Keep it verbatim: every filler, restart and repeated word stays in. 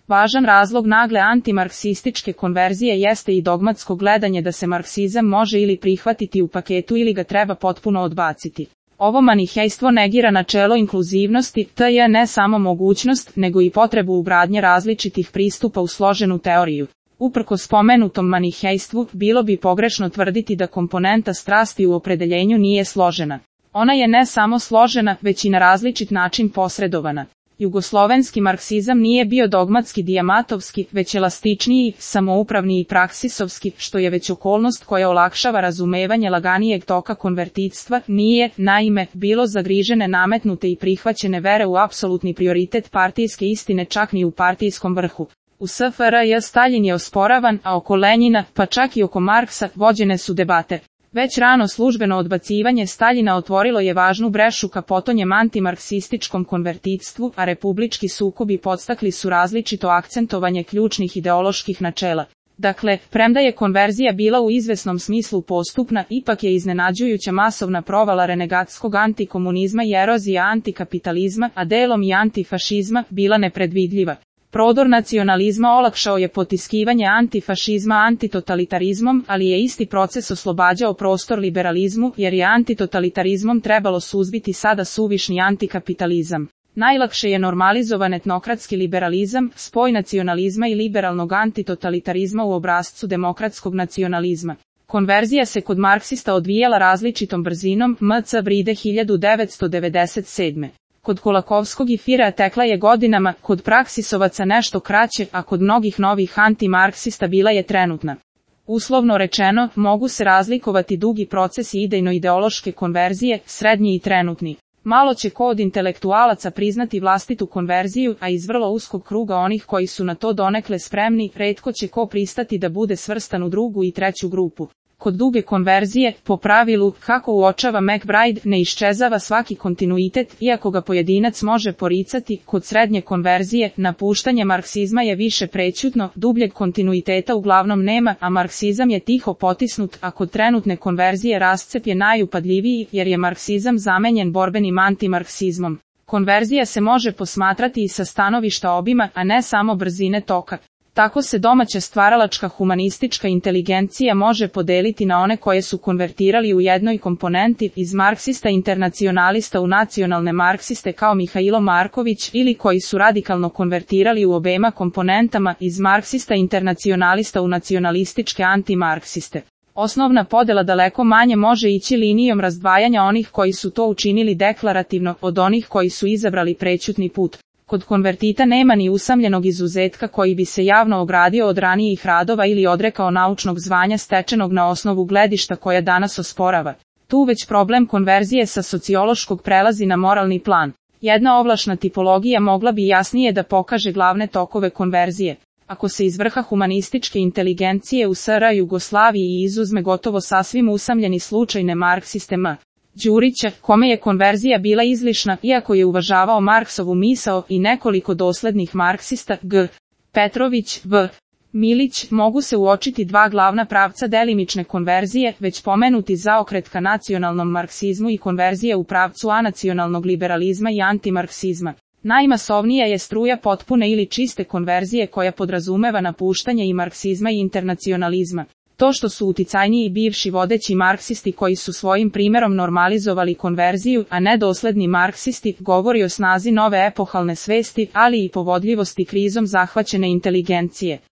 Važan razlog nagle antimarksističke konverzije jeste i dogmatsko gledanje da se marksizam može ili prihvatiti u paketu ili ga treba potpuno odbaciti. Ovo manihejstvo negira načelo inkluzivnosti, te je ne samo mogućnost, nego i potrebu ugradnje različitih pristupa u složenu teoriju. Uprkos spomenutom manihejstvu, bilo bi pogrešno tvrditi da komponenta strasti u opredeljenju nije složena. Ona je ne samo složena, već i na različit način posredovana. Jugoslovenski marksizam nije bio dogmatski dijamatovski, već elastičniji, samoupravni i praksisovski, što je već okolnost koja olakšava razumevanje laganijeg toka konvertitstva, nije, naime, bilo zagrižene nametnute i prihvaćene vere u apsolutni prioritet partijske istine čak ni u partijskom vrhu. U S F R J Staljin je osporavan, a oko Lenjina, pa čak i oko Marksa, vođene su debate. Već rano službeno odbacivanje Staljina otvorilo je važnu brešu ka potonjem antimarksističkom konvertitstvu, a republički sukobi podstakli su različito akcentovanje ključnih ideoloških načela. Dakle, premda je konverzija bila u izvesnom smislu postupna, ipak je iznenađujuća masovna provala renegatskog antikomunizma i erozija antikapitalizma, a delom i antifašizma, bila nepredvidljiva. Prodor nacionalizma olakšao je potiskivanje antifašizma antitotalitarizmom, ali je isti proces oslobađao prostor liberalizmu, jer je antitotalitarizmom trebalo suzbiti sada suvišni antikapitalizam. Najlakše je normalizovan etnokratski liberalizam, spoj nacionalizma i liberalnog antitotalitarizma u obrascu demokratskog nacionalizma. Konverzija se kod marksista odvijala različitom brzinom, M C Bride hiljadu devetsto devedeset sedme. Kod Kolakovskog i Firea tekla je godinama, kod praksisovaca nešto kraće, a kod mnogih novih antimarksista bila je trenutna. Uslovno rečeno, mogu se razlikovati dugi procesi idejno-ideološke konverzije, srednji i trenutni. Malo će ko od intelektualaca priznati vlastitu konverziju, a iz vrlo uskog kruga onih koji su na to donekle spremni, retko će ko pristati da bude svrstan u drugu i treću grupu. Kod duge konverzije, po pravilu, kako uočava McBride, ne iščezava svaki kontinuitet, iako ga pojedinac može poricati. Kod srednje konverzije, napuštanje marksizma je više prećutno, dubljeg kontinuiteta uglavnom nema, a marksizam je tiho potisnut, a kod trenutne konverzije rascep je najupadljiviji, jer je marksizam zamenjen borbenim antimarksizmom. Konverzija se može posmatrati i sa stanovišta obima, a ne samo brzine toka. Tako se domaća stvaralačka humanistička inteligencija može podeliti na one koje su konvertirali u jednoj komponenti, iz marksista internacionalista u nacionalne marksiste kao Mihailo Marković, ili koji su radikalno konvertirali u obema komponentama, iz marksista internacionalista u nacionalističke antimarksiste. Osnovna podela daleko manje može ići linijom razdvajanja onih koji su to učinili deklarativno, od onih koji su izabrali prećutni put. Kod konvertita nema ni usamljenog izuzetka koji bi se javno ogradio od ranijih radova ili odrekao naučnog zvanja stečenog na osnovu gledišta koja danas osporava. Tu već problem konverzije sa sociološkog prelazi na moralni plan. Jedna ovlašna tipologija mogla bi jasnije da pokaže glavne tokove konverzije. Ako se iz vrha humanističke inteligencije u S R Jugoslaviji izuzme gotovo sasvim usamljeni slučaj nemarksiste M. Đurića, kome je konverzija bila izlišna, iako je uvažavao Marksovu misao, i nekoliko doslednih marksista, G. Petrović, V. Milić, mogu se uočiti dva glavna pravca delimične konverzije, već pomenuti zaokret ka nacionalnom marksizmu i konverzija u pravcu anacionalnog liberalizma i antimarksizma. Najmasovnija je struja potpune ili čiste konverzije koja podrazumeva napuštanje i marksizma i internacionalizma. To što su uticajniji bivši vodeći marksisti koji su svojim primjerom normalizovali konverziju, a ne dosledni marksisti, govori o snazi nove epohalne svesti, ali i povodljivosti krizom zahvaćene inteligencije.